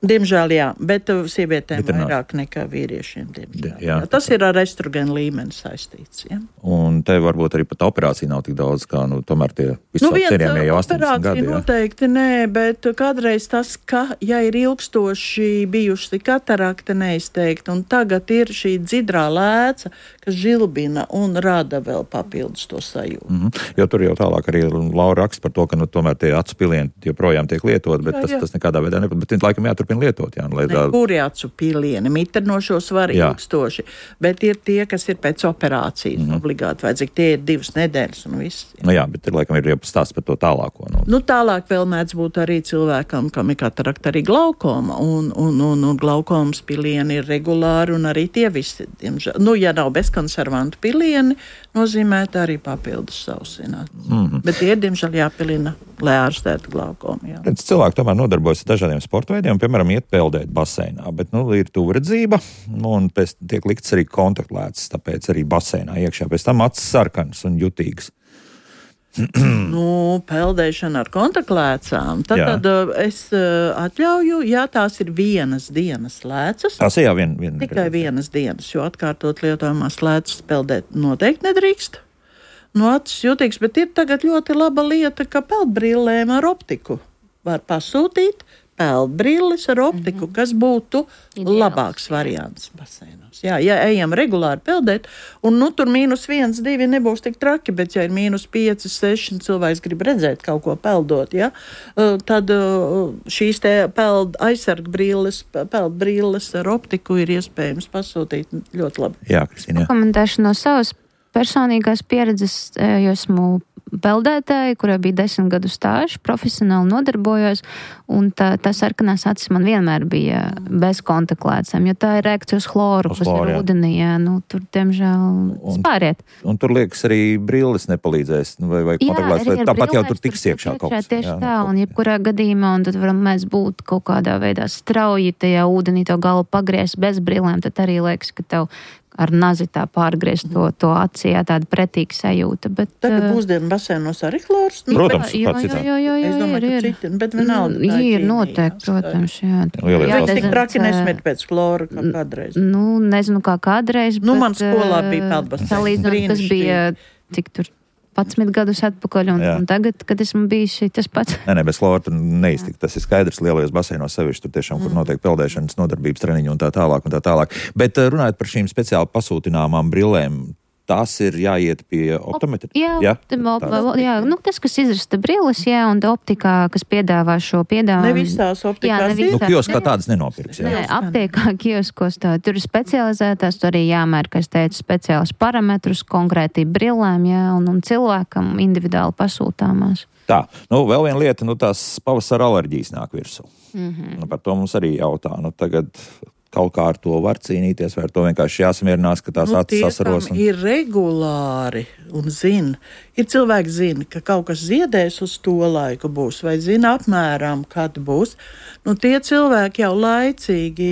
Diemžēl, jā, bet sievietēm vairāk nekā vīriešiem, diemžēl. Jā. Tas ir ar estrogēnu līmeni saistīts. Ja? Un te varbūt arī pat operācija nav tik daudz, kā tomēr tie visapcerījumie jau 80 gadi. Noteikti nē, bet kādreiz tas, ka, ja ir ilgstoši bijuši katarakta neizteikti, un tagad ir šī dzidrā lēca, kas žilbina un rada vēl papildus to sajūtu. Jo tur jau tālāk arī Laura raksta par to, ka tomēr tie acu pilieni joprojām tiek lietot, bet tas nekādā veidā nepat. Bet laikam jāturpina lietot. Kuri acu pilieni, mitrinošos var ilgstoši, bet ir tie, kas ir pēc operācijas obligāti vajadzīgi. Tie ir 2 nedēļas un viss. Jā, bet laikam ir stāsts par to tālāko. Tālāk vēl mēdz būt arī cilvēkam, kam ir katarakta arī glaukoma, un glaukomas pilieni ir regulāri, un arī tie visi, diemžēl. Ja nav bezkonservantu pilieni, nozīmēt arī papildus sausināt. Bet tie, diemžēl, jāpilina, lai ārstētu glaukomu. Cilvēki tomēr nodarbojas ar dažādiem sporta veidiem, piemēram, iet peldēt baseinā, bet ir tuvredzība, un pēc tiek likts arī kontaktlēts, tāpēc arī baseinā iekšā, pēc tam acis sarkanas un jutīgas. Peldēšana ar kontaktlēcām. Tad es atļauju, ja tās ir vienas dienas lēcas. Tās ir tikai vienas dienas, jo atkārtot lietojamās lēcas peldēt noteikti nedrīkst. acis jūtīgs, bet ir tagad ļoti laba lieta, ka peldbrillēm ar optiku var pasūtīt peldbrilles ar optiku, kas būtu labāks variants baseinos. Jā, ja ejam regulāri peldēt, un tur -1, -2 nebūs tik traki, bet ja ir -5, -6 cilvēks grib redzēt kaut ko peldot, ja, tad šīs te peldbrilles ar optiku ir iespējams pasūtīt ļoti labi. Jā, Kristīna. Komentēšu no savas personīgās pieredzes, jo esmu peldētāji, kurai bija 10 gadu stāžs, profesionāli nodarbojos, un tā sarkanās acis man vienmēr bija bez kontaktliecēm, jo tā ir reakcija uz chloru, kas ir ūdenī, tur, diemžēl, spāriet. Un tur liekas arī brilles nepalīdzēs, vai kontaktliecēs, tāpat jau tur tiks iekšā kaut kas. Tieši tā, un jebkurā gadījumā, un tad varam mēs būt kaut kādā veidā strauji tajā ūdenī to galu pagriezt bez brillēm, tad arī liekas, ka tev ar nazi tā pārgriezt to acī, tāda pretīga sajūta. Bet, tagad mūsdienu basēnos arī chlors? Protams, kāds citā. Es domāju, ka citi, bet vienalga. Ir noteikti, protams, jā. Bet tik traki nesmet pēc chlora kā kādreiz. Nezinu, kā kādreiz, bet... Man skolā bija peldbasēns. Salīdzinot, kas bija, cik tur 11 gadus atpakaļ, un tagad, kad esmu bijis tas pats. Nē, bez chlora tur neiztikt. Tas ir skaidrs lielajos baseinos sevišķi, tur tiešām, kur notiek peldēšanas nodarbības treniņi un tā tālāk. Bet runājot par šīm speciāli pasūtināmām brillēm, tās ir jāiet pie optometra? Jā, tas, kas izrasta brilles, un optikā, kas piedāvā šo piedāvājumu. Ne visās optikās. Kioskā tādas nenopirks. Nē, aptiekā kioskos tur ir specializētās, tur arī jāmēr, kā es teicu, speciālus parametrus konkrēti brillēm, un cilvēkam individuāli pasūtāmās. Tā, vēl viena lieta, tās pavasara alerģijas nāk virsū. Par to mums arī jautā. Tagad kaut kā ar to var cīnīties, vai ar to vienkārši jāsamierinās, ka tās acis sasaros. Ir regulāri un zina. Ir cilvēki zina, ka kaut kas ziedēs uz to laiku būs, vai zina apmēram, kad būs. Tie cilvēki jau laicīgi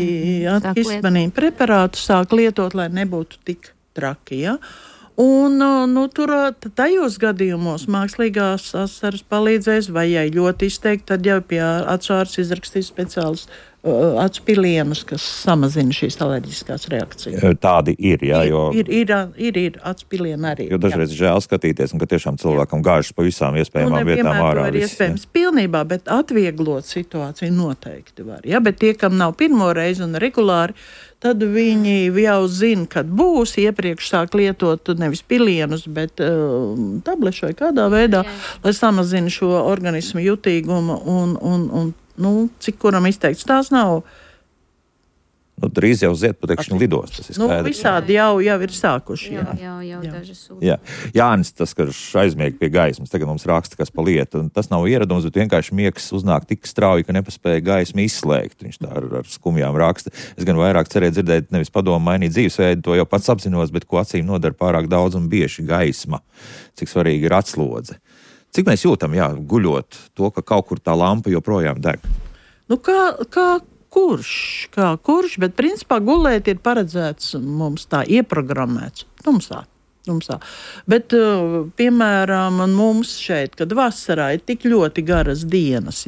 antihistaminīnu preparātu sāk lietot, lai nebūtu tik traki, ja? Un tur tajos gadījumos mākslīgās asaras palīdzēs, vai ja ļoti izteikti, tad jau pie atsāras izrakstīs speciālus acu pilienus, kas samazina šīs alerģiskās reakcijas. Tādi ir, jā, jo... Ir acu pilieni arī. Jo dažreiz žēl skatīties, un ka tiešām cilvēkam gāžas pa visām iespējamām vietām ārā. To ir iespējams pilnībā, bet atvieglot situāciju noteikti var. Ja? Bet tie, kam nav pirmo reizi un regulāri, tad viņi jau zina, kad būs, iepriekš sāk lietot nevis pilienus, bet tablešu vai kādā veidā, lai samazina šo organismu jutīgumu un cik kuram izteikts, tās nav. Drīz jau ziedputekšņu lidos, tas ir skaidrs. Visādi jau ir sākuši. Jā. Dažas sūdzības. Jā. Jānis, tas, ka aizmieg pie gaismas, tagad mums raksta, kas pa lietu, un tas nav ieradums, bet vienkārši miegs uznāk tik strauji, ka nepaspēja gaismu izslēgt. Viņš tā ar skumjām raksta. Es gan vairāk cerēju dzirdēt, nevis padomu mainīt dzīvesveidu, to jau pats apzinos, bet ko acīm nodara pārāk daudz un bieži gaisma. Cik svarīgi ir atslodze. Cik mēs jūtam, guļot to, ka kaut kur tā lampa joprojām deg? Kā kurš, bet principā gulēt ir paredzēts mums tā ieprogrammēts tumsā. Bet, piemēram, mums šeit, kad vasarā ir tik ļoti garas dienas,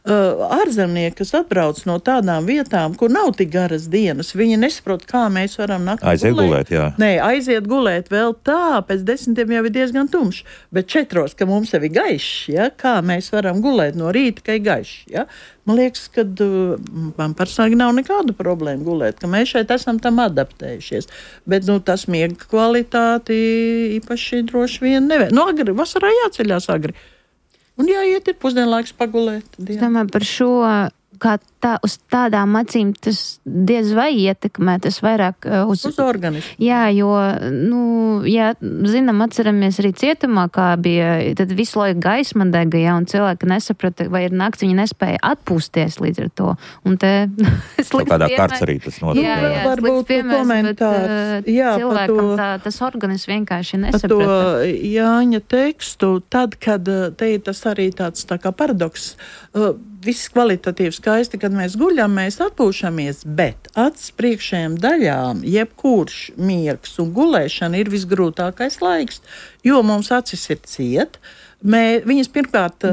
ārzemnieki, kas atbrauc no tādām vietām, kur nav tik garas dienas, viņi nesaprot, kā mēs varam naktī gulēt. Nē, aiziet gulēt vēl tā, pēc 10 jau ir diezgan tumšs, bet 4, ka mums jau ir gaišs, kā mēs varam gulēt no rīta, ka ir gaišs, Man liekas, ka man personīgi nav nekādu problēmu gulēt, ka mēs šeit esam tam adaptējušies. Bet tas miega kvalitāti īpaši droši vien nevēl. Agri, vasarā jāceļās agri. Un jāiet ir pusdienlaiks pagulēt. Es domāju par šo, kā uz tādām acīm tas diez vai ietekmē, tas vairāk uz organismu. Jā, jo, zinām, atceramies arī cietumā, kā bija, tad visu laiku gaisma dega, un cilvēki nesaprata, vai ir nakts, viņi nespēja atpūsties līdz ar to. Un te kādā kārts arī tas notiek. Jā, varbūt komentārs. Cilvēkam tas organisms vienkārši nesaprata. Par to Jāņa tekstu, tad, kad te ir tas arī tāds tā kā paradoks, viss kvalitatīvi skaisti, kad mēs guļam, mēs atpūšamies, bet acis priekšējām daļām, jebkurš miegs un gulēšana ir visgrūtākais laiks, jo mums acis ir ciet. Viņas pirmkārt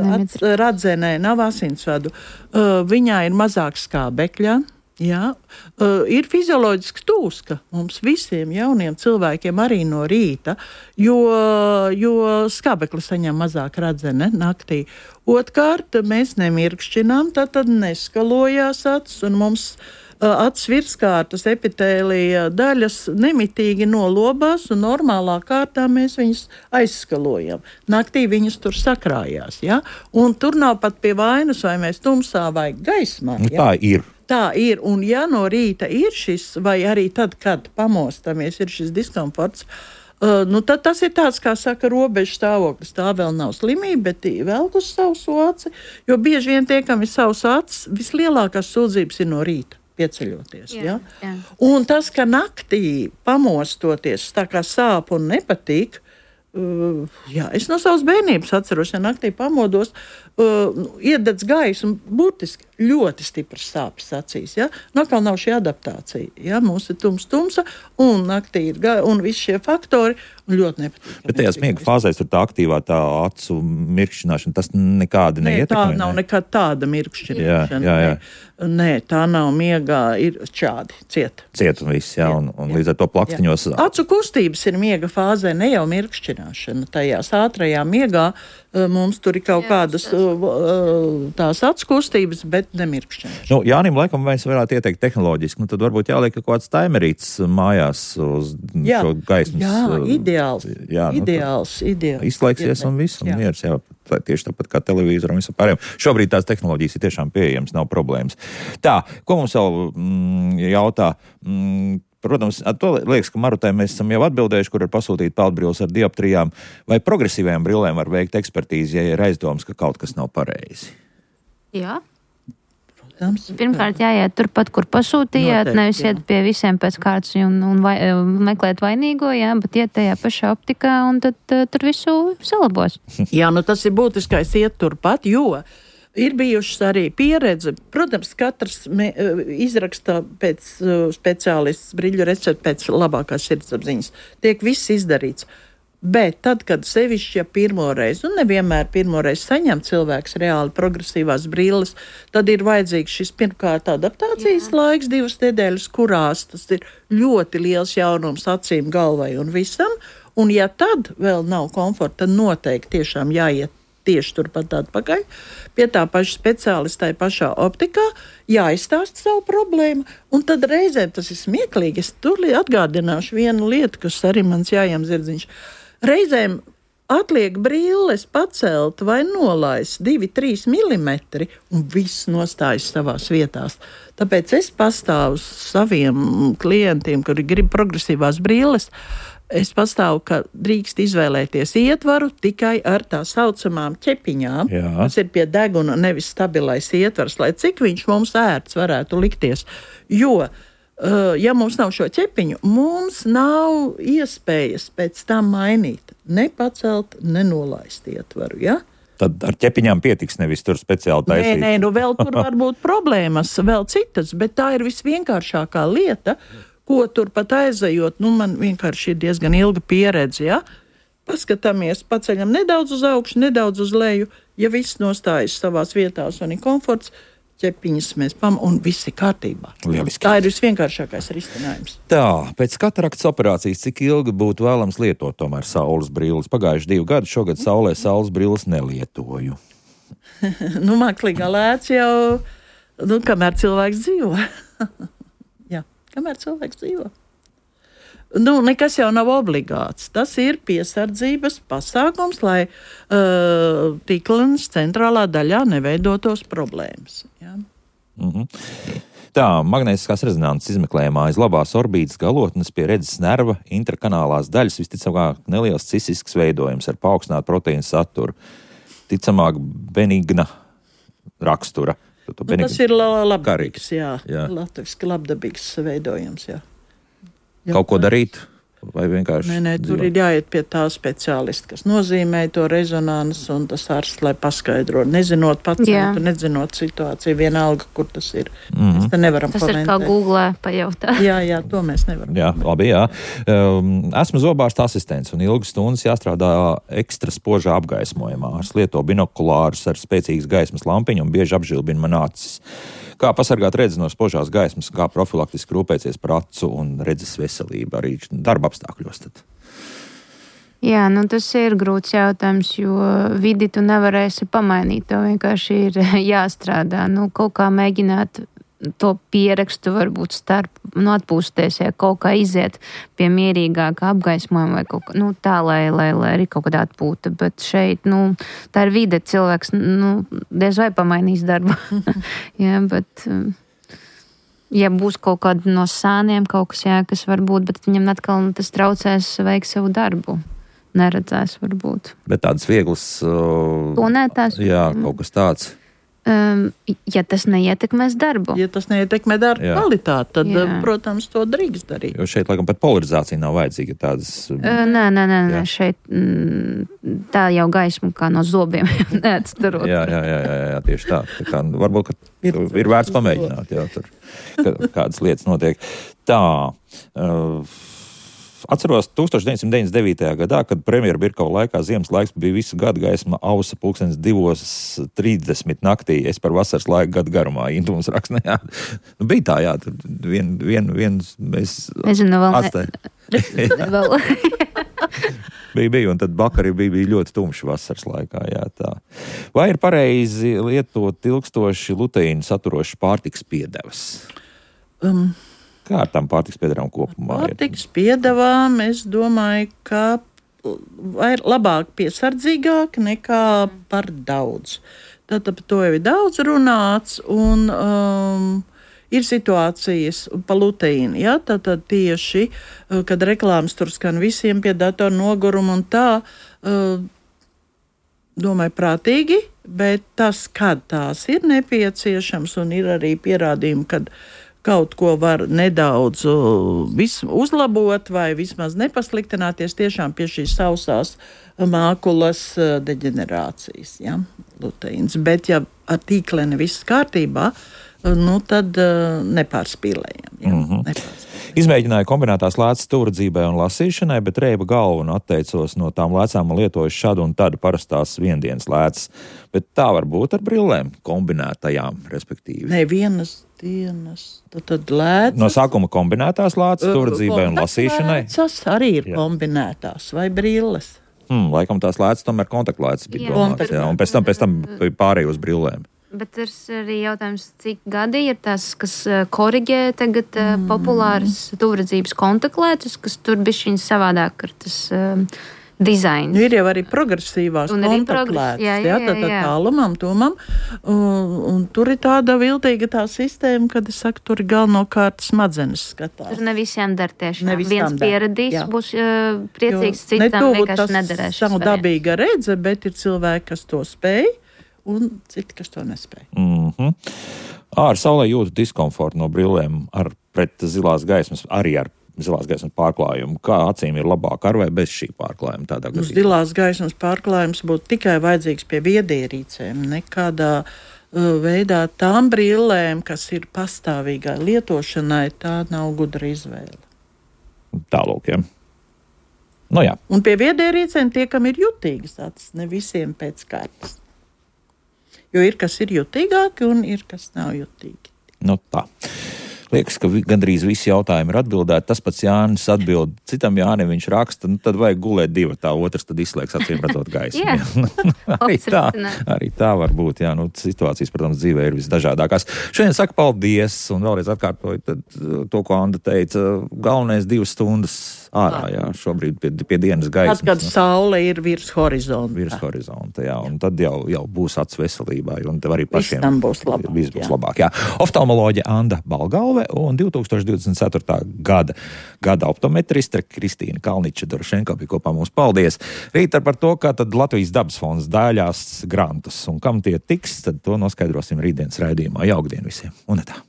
radzenē nav asinsvadu, viņā ir mazāk skābekļa, Jā, ir fizioloģisks tūska mums visiem jauniem cilvēkiem arī no rīta, jo skābekli saņem mazāk radzene naktī. Otkārt, mēs nemirkšķinām, tad neskalojās acis, un mums acis virskārtas epitēlija daļas nemitīgi nolobās, un normālā kārtā mēs viņus aizskalojam. Naktī viņas tur sakrājās, ja? Un tur nav pat pie vainas, vai mēs tumsā vai gaismā. Ja? Tā ir, un ja no rīta ir šis, vai arī tad, kad pamostamies, ir šis diskomforts, tad tas ir tāds, kā saka, robežu stāvoklis. Tā vēl nav slimība, bet velk uz savu aci, jo bieži vien tie, kam ir savs acis, vislielākās sūdzības ir no rīta pieceļoties. Jā. Un tas, ka naktī pamostoties, tā kā sāp un nepatīk, es no savas bērnības atceros, ja naktī pamodos, iededz gaisu un burtiski ļoti stipras sāpes acīs. Ja? Atkal nav šī adaptācija. Ja? Mums ir tumsa un naktī ir un visi šie faktori ļoti nepatīk. Bet tajās miega fāzēs tur tā aktīvā tā acu mirkšķināšana, tas nekādi neietekmē? Tā nav nekāda tāda mirkšķināšana. Jā. Nē, tā nav miegā, ir šādi ciet. Ciet un viss, jā, un līdz ar to plakstiņos. Acu kustības ir miega fāzē, ne jau mirkšķināšana. Tajās ātrajā miegā mums tur ir kaut kādas tās acu kustības, bet nemirkšķināšana. Jānim, laikam, mēs varētu ieteikt tehnoloģiski, tad varbūt jāliek kaut kāds taimerīts mājās uz šo gaismas. Jā, ideāls. Izslēgsies un viss, un miers, jā. Tieši tāpat kā televīzora un visam pārējiem. Šobrīd tās tehnoloģijas ir tiešām pieejamas, nav problēmas. Tā, ko mums vēl jautā? Protams, to liekas, ka Marutai mēs esam jau atbildējuši, kur ir pasūtīt peldbrilles ar dioptrijām. Vai progresīvajām brillēm var veikt ekspertīzi, ja ir aizdoms, ka kaut kas nav pareizi? Jā. Pirmkārt, jāiet turpat, kur pasūtījāt, nevis iet pie visiem pēc kārtas un meklēt vainīgo, bet iet tajā pašā optikā un tad tur visu salabos. Jā, tas ir būtiskais iet turpat, jo ir bijušas arī pieredze. Protams, katrs izraksta pēc speciālists brīļu recepti pēc labākās sirdsapziņas. Tiek viss izdarīts. Bet tad, kad sevišķi pirmoreiz, un nevienmēr pirmoreiz saņem cilvēks reāli progresīvās brilles, tad ir vajadzīgs šis pirmkārt adaptācijas laiks, 2 nedēļas, kurās tas ir ļoti liels jaunums acīm, galvai un visam. Un ja tad vēl nav komforta, tad noteikti tiešām jāiet tieši turpat atpakaļ pie tā paša speciālista, tai pašā optikā, jāizstāst savu problēmu, un tad reizēm tas ir smieklīgi. Es tur atgādināšu vienu lietu, kas arī mans jājām zirdziņš. Reizēm atliek brilles pacelt vai nolaist 2-3 milimetri, un viss nostājas savās vietās. Tāpēc es pastāvu saviem klientiem, kuri grib progresīvās brilles, es pastāvu, ka drīkst izvēlēties ietvaru tikai ar tā saucamām ķepiņām. Tas ir pie deguna, nevis stabilais ietvars, lai cik viņš mums ērts varētu likties. Jo ja mums nav šo ķepiņu, mums nav iespējas pēc tam mainīt, ne pacelt, ne nolaist ietvaru, ja? Tad ar ķepiņām pietiks, nevis tur speciāli taisīt. Nē, vēl tur var būt problēmas, vēl citas, bet tā ir visvienkāršākā lieta, ko tur pat aizejot, man vienkārši ir diezgan ilga pieredze, ja? Paskatāmies, paceļam nedaudz uz augšu, nedaudz uz leju, ja viss nostājas savās vietās un ir komforts, ķepiņas mēs un viss ir kārtībā. Lieliski. Tā ir visvienkāršākais risinājums. Tā, pēc kataraktas operācijas, cik ilgi būtu vēlams lietot tomēr saules brilles? Pagājuši 2 gadi, šogad saulē saules brilles nelietoju. Mākslīgā lēts jau, kamēr cilvēks dzīvo. Jā, kamēr cilvēks dzīvo. Nekas jau nav obligāts. Tas ir piesardzības pasākums, lai tīklenes centrālā daļā neveidotos problēmas. Ja? Tā, magnētiskās rezonances izmeklējumā aiz labās orbītas galotnes pie redzes nerva intrakanālās daļas visticamāk neliels cisisks veidojums ar paaugstinātu proteīnu saturu. Ticamāk benigna rakstura. Tas ir labdabīgs, latviski labdabīgs veidojums, jā. Kaut ko darīt? Vai vienkārši? Nē, tur ir jāiet pie tā speciālista, kas nozīmē to rezonansu, un tas ārsts, lai paskaidro, nezinot pacientu, nezinot situāciju, vienalga, kur tas ir. Mēs te nevaram tas komentēt. Ir kā Googlē pajautāt. Jā, to mēs nevaram. Jā, labi, jā. Esmu zobārsta asistents, un ilgas stundas jāstrādā ekstra spožā apgaismojumā. Ārsts lieto binokulārus ar spēcīgas gaismas lampiņu un bieži apžilbina man acis. Kā pasargāt redzi no spožās gaismas, kā profilaktiski rūpēties par acu un redzes veselību arī darba apstākļos tad? Jā, tas ir grūts jautājums, jo vidi tu nevarēsi pamainīt, to vienkārši ir jāstrādā. Kaut kā mēģināt to pierakstu varbūt starp, atpūsties, ja kaut kā iziet pie mierīgāka apgaismojuma vai kaut kā, tā, lai arī kaut kādā atpūta, bet šeit, tā ir vide, cilvēks, diez vai pamainīs darbu. Jā, bet, ja būs kaut kāda no sāniem kaut kas, jā, kas var būt, bet viņam atkal tas traucēs veikt savu darbu. Neredzēs varbūt. Bet tādas vieglas... Planētās? Jā, kaut kas tāds. Ja tas neietekmēs darbu. Ja tas neietekmē darbu kvalitāti, tad, protams, to drīkst darīt. Jo šeit, laikam, pat polarizācija nav vajadzīga tādas... Nē, šeit tā jau gaisma kā no zobiem neatstarot. Jā, tieši tā. Tā kā, varbūt, ka ir vērts pamēģināt, jā, tur kādas lietas notiek. Tā... Atceros 1999. gadā, kad premjera Birkova laikā ziemas laiks bija visu gadu gaisma ausa 2:30 naktī. Es par vasaras laiku gadu garumā. Intu mums raksta, jā. Bija tā, jā. Tur viens mēs atstājām. bija, un tad vakar bija ļoti tumši vasaras laikā, jā, tā. Vai ir pareizi lietot ilgstoši luteīnu saturošas pārtikas piedevas? Kā ar tām pārtikas piedevām kopumā ir? Pārtikas piedevām, es domāju, ka ir labāk piesardzīgāk nekā par daudz. Tātad to jau ir daudz runāts, un ir situācijas pa luteīnu, ja? Tātad tieši, kad reklāmas tur skan visiem pie datoru noguruma un tā, domāju, prātīgi, bet tas, kad tās ir nepieciešams, un ir arī pierādījumi, kad kaut ko var nedaudz uzlabot vai vismaz nepasliktināties tiešām pie šīs sausās mākulas deģenerācijas, ja, luteīns. Bet ja ar tīkleni viss kārtībā, tad nepārspīlējam. Ja, Izmēģināju kombinētās lēcas stūredzībai un lasīšanai, bet reiba galvu un atteicos no tām lēcām un lietoju šādu un tādu parastās viendienas lēcas. Bet tā var būt ar brillēm kombinētajām, respektīvi. Ne, vienas dienas, tad lēcas. No sākuma kombinētās lēcas stūredzībai un lasīšanai. Lēcas arī ir kombinētās vai brilles. Laikam tās lēcas tomēr kontaktlēcas bija domāts, jā, un pēc tam pārēj uz brillēm. Bet ir arī jautājums, cik gadi ir tas, kas koriģē tagad populāras tūredzības kontaktlētas, kas tur bišķiņ savādāk ar tas dizains. Ir jau arī progresīvās kontaktlētas, tad tālumam, tumam, un tur ir tāda viltīga tā sistēma, kad es saku, tur ir galvenokārt smadzenes skatās. Tur ne visiem dar tiešām. Viens pieradīs, būs priecīgs, citam vienkārši nederēs. Savu dabīga redze, bet ir cilvēki, kas to spēj, un citi, kas to nespēj. Ar saulē jūtu diskomfortu no brillēm pret zilās gaismas, arī ar zilās gaismas pārklājumu. Kā acīm ir labāk ar vai bez šī pārklājuma tādā gadījumā? Zilās gaismas pārklājums būtu tikai vajadzīgs pie viedierīcēm, nekādā veidā tām brillēm, kas ir pastāvīgai lietošanai, tā nav gudra izvēle. Tālūk, jā. Jā. Un pie viedierīcēm tie, kam ir jutīgas acis, ne visiem pēc kārtas. Jo ir, kas ir jutīgāki un ir, kas nav jutīgi. Tā. Liekas, ka gandrīz visi jautājumi ir atbildēti. Tas pats Jānis atbild citam Jānim, viņš raksta, tad vajag gulēt divi, tā otrs tad izslēgs acīm redzot gaismu. arī tā var būt, jā, situācijas, protams, dzīvē ir visdažādākās. Šodien saku paldies un vēlreiz atkārtoju to, ko Anda teica, galvenais 2 stundas ārā, jā, šobrīd pie dienas gaismas. Tad, kad saule ir virs horizonta. Virs horizonta, jā, un tad jau būs acu veselībai, un tev arī pašiem būs labāk. Viss būs labāk, jā. Oftalmoloģe Anda Balgalve un 2024. gada optometriste Kristīna Kalniča-Dorošenko bija kopā mums. Paldies! Rīt par to, kā tad Latvijas dabas fonds dāļās grantus, un kam tie tiks, tad to noskaidrosim rītdienas raidījumā. Jaukdien visiem! Un tā!